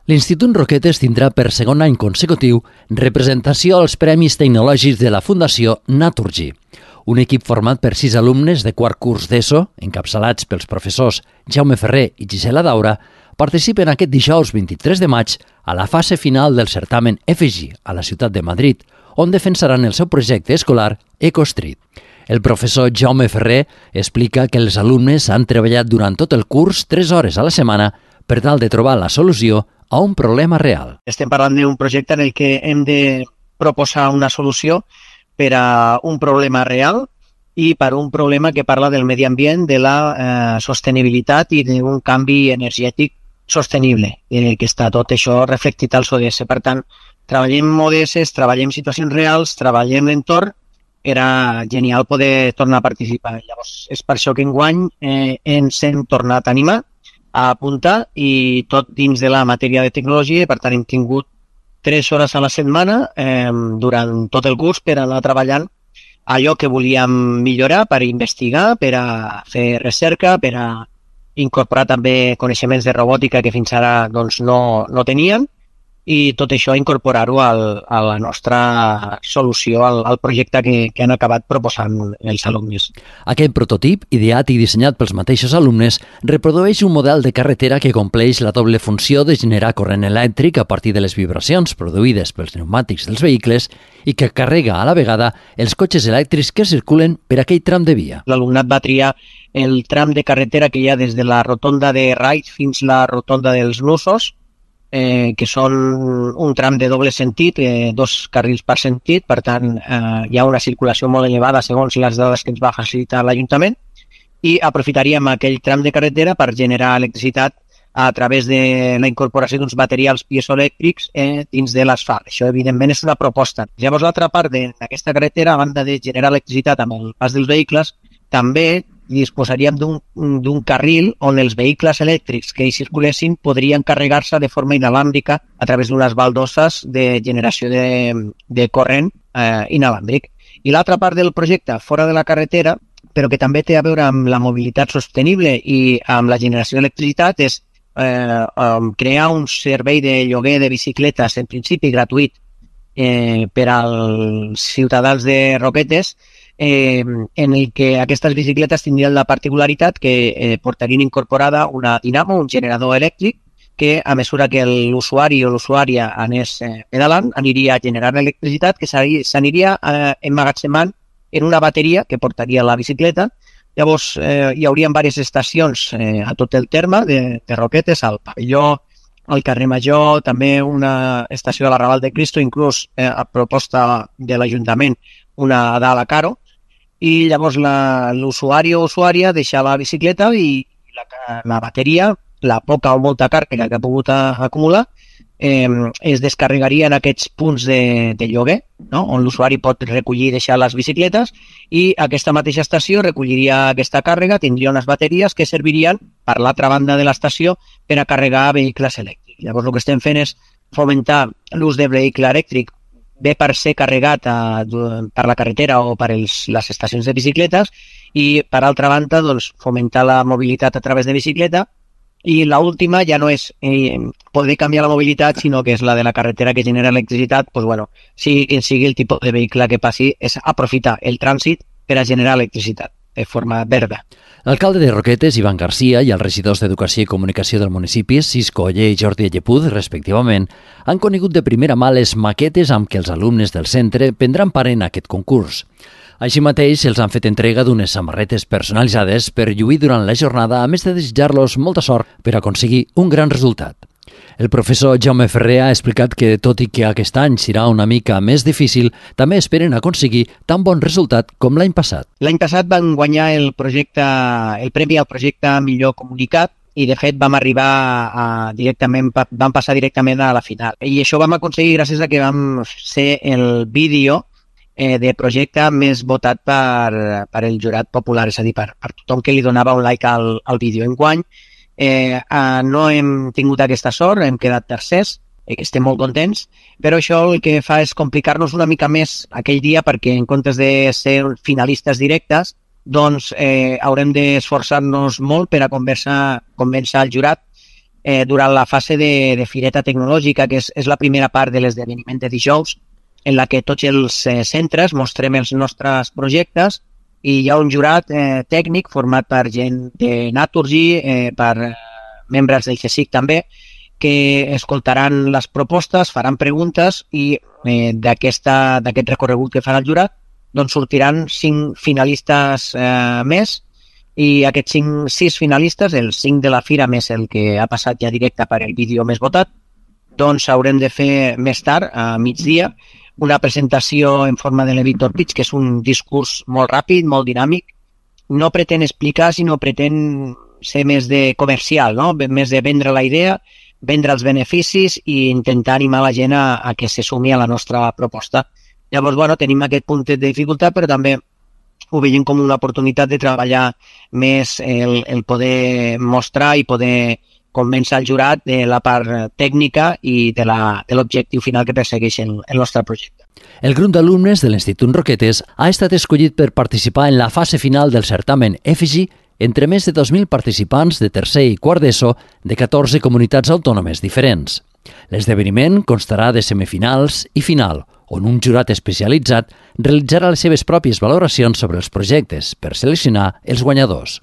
L'Institut Roquetes tindrà per segon any consecutiu representació als Premis Tecnològics de la Fundació Naturgy. Un equip format per 6 alumnes de quart curs d'ESO, encapçalats pels professors Jaume Ferrer i Gisela Daura, participen aquest dijous 23 de maig a la fase final del certamen EFEGI a la ciutat de Madrid, on defensaran el seu projecte escolar EcoStreet. El professor Jaume Ferrer explica que els alumnes han treballat durant tot el curs 3 hores a la setmana per tal de trobar la solució a un problema real. Estem parlant d'un projecte en el que hem de proposar una solució per a un problema real i per a un problema que parla del medi ambient, de la sostenibilitat i d'un canvi energètic sostenible, que està tot això reflectit als ODS. Per tant, treballem ODS, treballem situacions reals, treballem l'entorn. Era genial poder tornar a participar. Llavors, és per això que enguany ens hem tornat a animar, a apuntar, i tot dins de la matèria de tecnologia. Per tant, hem tingut 3 hores a la setmana durant tot el curs per anar treballant allò que volíem millorar, per investigar, per a fer recerca, per a incorporar també coneixements de robòtica que fins ara doncs, no tenien, i tot això incorporar-ho a la nostra solució, al projecte que han acabat proposant els alumnes. Aquest prototip, ideat i dissenyat pels mateixos alumnes, reprodueix un model de carretera que compleix la doble funció de generar corrent elèctric a partir de les vibracions produïdes pels pneumàtics dels vehicles i que carrega a la vegada els cotxes elèctrics que circulen per aquell tram de via. L'alumnat va triar el tram de carretera que hi ha des de la rotonda de Raig fins a la rotonda dels Nusos, que són un tram de doble sentit, 2 carrils per sentit. Per tant, hi ha una circulació molt elevada segons les dades que ens va facilitar l'Ajuntament, i aprofitaríem aquell tram de carretera per generar electricitat a través de la incorporació d'uns materials piezoelèctrics dins de l'asfalt. Això, evidentment, és una proposta. Llavors, l'altra part d'aquesta carretera, a banda de generar electricitat amb el pas dels vehicles, també disposaríem d'un carril on els vehicles elèctrics que hi circulessin podrien carregar-se de forma inalàmbrica a través d'unes baldosses de generació de corrent inalàmbric. I l'altra part del projecte, fora de la carretera, però que també té a veure amb la mobilitat sostenible i amb la generació d'electricitat, és crear un servei de lloguer de bicicletes, en principi gratuït, per als ciutadans de Roquetes, en el que aquestes bicicletes tindrien la particularitat que portarien incorporada una dinamo, un generador elèctric, que a mesura que l'usuari o l'usuària anés pedalant, aniria generant electricitat que s'aniria emmagatzemant en una bateria que portaria la bicicleta. Llavors hi haurien diverses estacions a tot el terme de Roquetes, al pavelló, al carrer Major, també una estació de la Raval de Cristo, inclús a proposta de l'Ajuntament, una a dalt a Caro. I llavors l'usuari o usuària deixa la bicicleta i la bateria, la poca o molta càrrega que ha pogut acumular, es descarregaria en aquests punts de lloguer, no? On l'usuari pot recollir i deixar les bicicletes, i aquesta mateixa estació recolliria aquesta càrrega, tindria unes bateries que servirien per l'altra banda de l'estació per a carregar vehicles elèctrics. Llavors el que estem fent és fomentar l'ús de vehicle elèctric bé per ser carregat per la carretera o per les estacions de bicicletes, i per altra banda doncs, fomentar la mobilitat a través de bicicleta. I l'última ja no és poder canviar la mobilitat, sinó que és la de la carretera que genera electricitat. Doncs, bueno, sigui el tipus de vehicle que passi, és aprofitar el trànsit per a generar electricitat de forma verda. L'alcalde de Roquetes, Ivan Garcia, i els regidors d'Educació i Comunicació del municipi, Cisco Oller i Jordi Llepud, respectivament, han conegut de primera mà les maquetes amb què els alumnes del centre prendran part en aquest concurs. Així mateix, els han fet entrega d'unes samarretes personalitzades per lluir durant la jornada, a més de desitjar-los molta sort per aconseguir un gran resultat. El professor Jaume Ferrer ha explicat que, tot i que aquest any serà una mica més difícil, també esperen aconseguir tan bon resultat com l'any passat. L'any passat van guanyar el premi al projecte Millor Comunicat, i de fet vam passar directament a la final. I això vam aconseguir gràcies a que vam ser el vídeo de projecte més votat per el jurat popular, és a dir, per tothom que li donava un like al vídeo. Enguany no hem tingut aquesta sort, hem quedat tercers, estem molt contents, però això el que fa és complicar-nos una mica més aquell dia, perquè en comptes de ser finalistes directes, doncs haurem d'esforçar-nos molt per a convèncer el jurat durant la fase de fireta tecnològica, que és la primera part de l'esdeveniment de dijous, en la que tots els centres mostrem els nostres projectes i hi ha un jurat tècnic format per gent de Naturgy, per membres del CSIC també, que escoltaran les propostes, faran preguntes i d'aquest recorregut que farà el jurat doncs sortiran 5 finalistes més i aquests 6 finalistes, els 5 de la fira més el que ha passat ja directe per el vídeo més votat, doncs haurem de fer més tard, a migdia, una presentació en forma d'elevator pitch, que és un discurs molt ràpid, molt dinàmic. No pretén explicar, sinó pretén ser més de comercial, no? Més de vendre la idea, vendre els beneficis i intentar animar la gent a que se sumi a la nostra proposta. Llavors, bueno, tenim aquest punt de dificultat, però també ho veiem com una oportunitat de treballar més el poder mostrar i poder convèncer el jurat de la part tècnica i de l'objectiu final que persegueix el nostre projecte. El grup d'alumnes de l'Institut Roquetes ha estat escollit per participar en la fase final del certamen EFIGI entre més de 2.000 participants de tercer i quart d'ESO de 14 comunitats autònomes diferents. L'esdeveniment constarà de semifinals i final, on un jurat especialitzat realitzarà les seves pròpies valoracions sobre els projectes per seleccionar els guanyadors.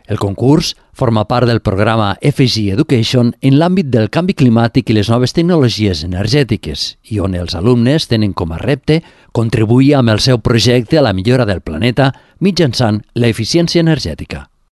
El concurs forma part del programa EFIGI Education en l'àmbit del canvi climàtic i les noves tecnologies energètiques i on els alumnes tenen com a repte contribuir amb el seu projecte a la millora del planeta mitjançant l'eficiència energètica.